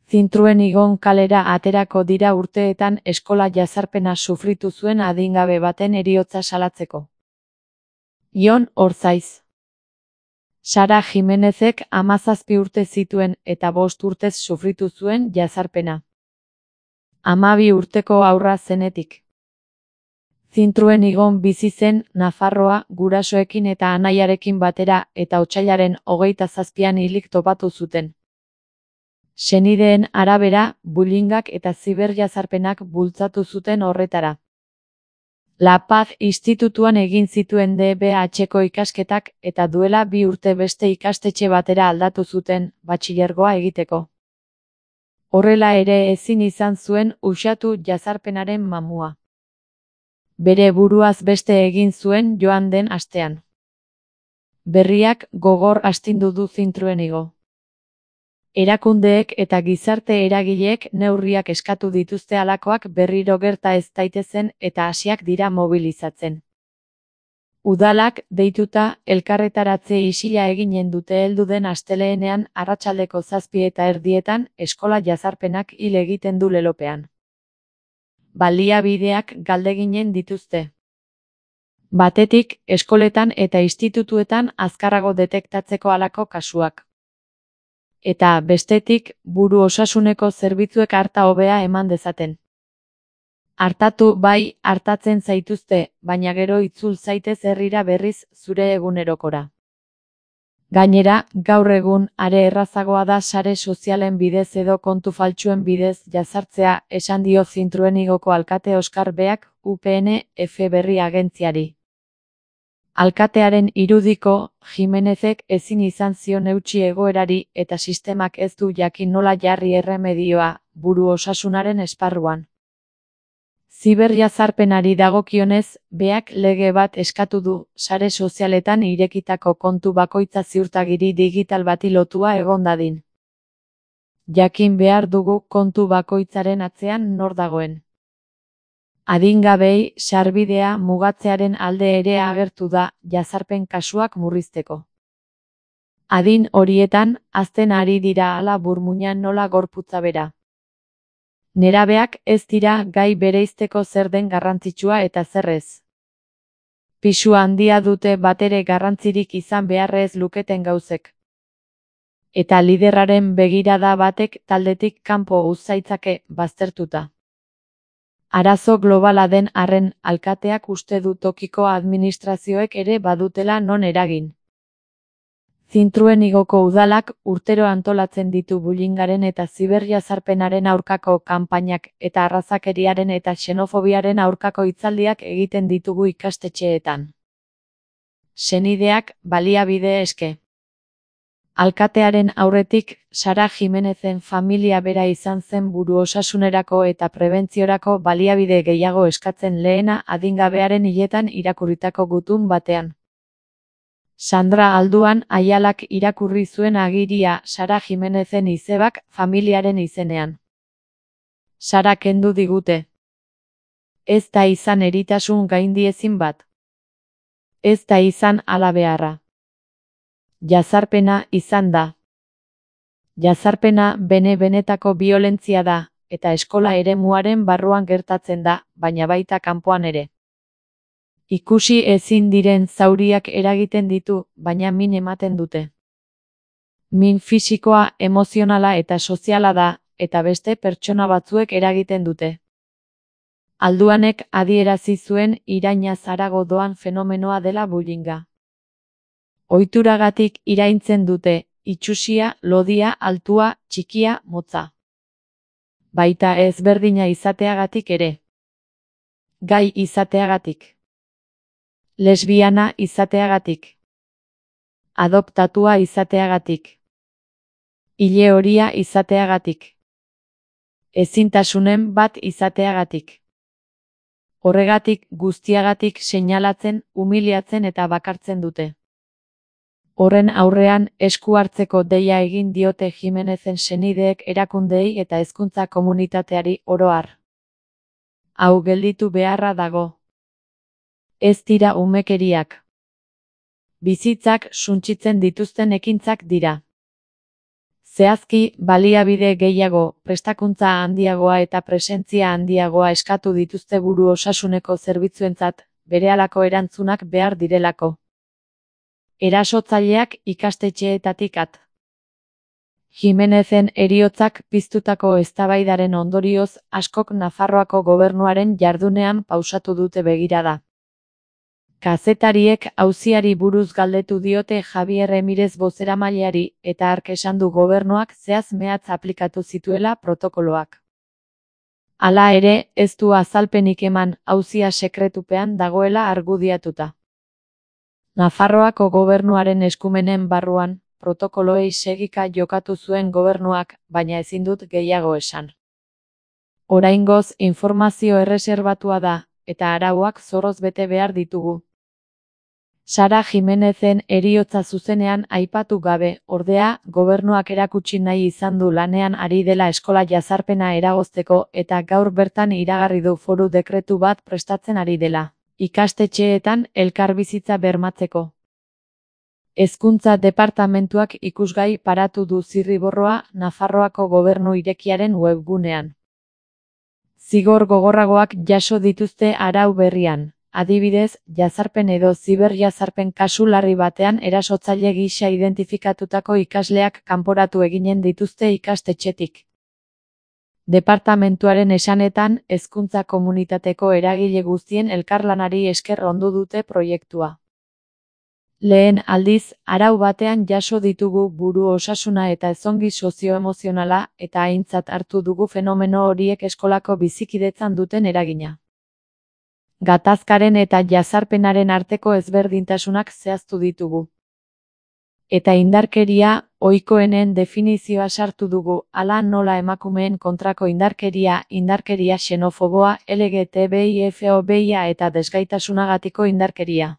Zintruen Igon kalera aterako dira urteetan eskola jazarpena sufritu zuen adingabe baten heriotza salatzeko. Jon Orzaiz. Sara Jimenezek 17 urte zituen eta 5 urtez sufritu zuen jazarpena. 12 urteko haurra zenetik. Zintruen Igon bizi zen Nafarroa gurasoekin eta anaiarekin batera eta otsailaren 27an hilik topatu zuten. Senideen arabera, bullyingak eta ziberjazarpenak bultzatu zuten horretara. La Paz institutuan egin zituen DBH-ko ikasketak eta duela 2 urte beste ikastetxe batera aldatu zuten, batxilergoa egiteko. Horrela ere ezin izan zuen uxatu jazarpenaren mamua. Bere buruaz beste egin zuen joan den astean. Berriak gogor astindu du Zintruen Igon. Erakundeek eta gizarte eragileek neurriak eskatu dituzte halakoak berriro gerta ez daitezen eta hasiak dira mobilizatzen. Udalak deituta elkarretaratze isila eginen dute heldu den astelehenean arratsaldeko 7:30 eskola jazarpenak hil egiten du lelopean. Baliabideak galdeginen dituzte. Batetik, eskoletan eta institutuetan azkarrago detektatzeko halako kasuak. Eta, bestetik, buru osasuneko zerbitzuek arta hobea eman dezaten. Artatu bai, artatzen zaituzte, baina gero itzul zaitez herrira berriz zure egunerokora. Gainera, gaur egun are errazagoa da sare sozialen bidez edo kontu faltsuen bidez jazartzea, esan dio Zintruen Igoko alkate Oskar Beak, UPN-F berri agentziari. Alkatearen irudiko, Jimenezek ezin izan zion eutsi egoerari eta sistemak ez du jakin nola jarri erremedioa, buru osasunaren esparruan. Ziberjazarpenari dagokionez, Beak lege bat eskatu du, sare sozialetan irekitako kontu bakoitza ziurtagiri digital bati lotua egon dadin. Jakin behar dugu kontu bakoitzaren atzean nor dagoen. Adingabei sarbidea mugatzearen alde ere agertu da, jazarpen kasuak murrizteko. Adin horietan, hazten ari dira hala burmuinan nola gorputza bera. Nerabeak ez dira gai bereizteko zer den garrantzitsua eta zer ez. Pisu handia dute batere garrantzirik izan beharrez luketen gauzek. Eta liderraren begirada batek taldetik kanpo uz zaitzake baztertuta. Arazo globala den arren, alkateak uste du tokiko administrazioek ere badutela non eragin. Zintruen Igoko udalak urtero antolatzen ditu bullyingaren eta ziberjazarpenaren aurkako kanpainak eta arrazakeriaren eta xenofobiaren aurkako hitzaldiak egiten ditugu ikastetxeetan. Senideak baliabide eske. Alkatearen aurretik, Sara Jimenezen familia bera izan zen buru osasunerako eta prebentziorako baliabide gehiago eskatzen lehena adingabearen hiletan irakurritako gutun batean. Sandra Alduan Aialak irakurri zuen agiria Sara Jimenezen izebak familiaren izenean. Sara kendu digute. Ez da izan eritasun gaindiezin bat. Ez da izan hala beharra. Jazarpena izan da. Jazarpena bene-benetako biolentzia da, eta eskola eremuaren barruan gertatzen da, baina baita kanpoan ere. Ikusi ezin diren zauriak eragiten ditu, baina min ematen dute. Min fisikoa, emozionala eta soziala da, eta beste pertsona batzuek eragiten dute. Alduanek adierazi zuen irainaz harago doan fenomenoa dela bullyinga. Ohituragatik iraintzen dute, itsusia, lodia, altua, txikia, motza. Baita ezberdina izateagatik ere. Gai izateagatik. Lesbiana izateagatik. Adoptatua izateagatik. Ile horia izateagatik. Ezintasunen bat izateagatik. Horregatik guztiagatik seinalatzen, humiliatzen eta bakartzen dute. Horren aurrean esku hartzeko deia egin diote Jimenezen senideek erakundeei eta hezkuntza komunitateari oro har. Hau gelditu beharra dago. Ez dira umekeriak. Bizitzak suntsitzen dituzten ekintzak dira. Zehazki, baliabide gehiago, prestakuntza handiagoa eta presentzia handiagoa eskatu dituzte buru osasuneko zerbitzuentzat, berehalako erantzunak behar direlako. Erasotzaileak ikastetxeetatik at. Jimenezen heriotzak piztutako eztabaidaren ondorioz, askok Nafarroako gobernuaren jardunean pausatu dute begirada. Kazetariek auziari buruz galdetu diote Javier Emirez bozeramaileari eta hark esan du gobernuak zehaz-mehatz aplikatu zituela protokoloak. Hala ere, ez du azalpenik eman, auzia sekretupean dagoela argudiatuta. Nafarroako gobernuaren eskumenen barruan, protokoloei segika jokatu zuen gobernuak, baina ezin dut gehiago esan. Oraingoz, informazio erreserbatua da, eta arauak zorroz bete behar ditugu. Sara Jimenezen heriotza zuzenean aipatu gabe, ordea, gobernuak erakutsi nahi izan du lanean ari dela eskola jazarpena eragozteko eta gaur bertan iragarri du foru dekretu bat prestatzen ari dela, ikastetxeetan elkarbizitza bermatzeko. Hezkuntza departamentuak ikusgai paratu du zirriborroa Nafarroako gobernu irekiaren webgunean. Zigor gogorragoak jaso dituzte arau berrian. Adibidez, jazarpen edo ziberjazarpen kasu larri batean erasotzaile gisa identifikatutako ikasleak kanporatu eginen dituzte ikastetxetik. Departamentuaren esanetan, hezkuntza komunitateko eragile guztien elkarlanari esker ondu dute proiektua. Lehen aldiz, arau batean jaso ditugu buru osasuna eta ezongi sozioemozionala eta aintzat hartu dugu fenomeno horiek eskolako bizikidetzan duten eragina. Gatazkaren eta jazarpenaren arteko ezberdintasunak zehaztu ditugu. Eta indarkeria, ohikoenen definizioa sartu dugu, hala nola emakumeen kontrako indarkeria, indarkeria xenofoboa, LGTBI-fobia eta desgaitasunagatik indarkeria.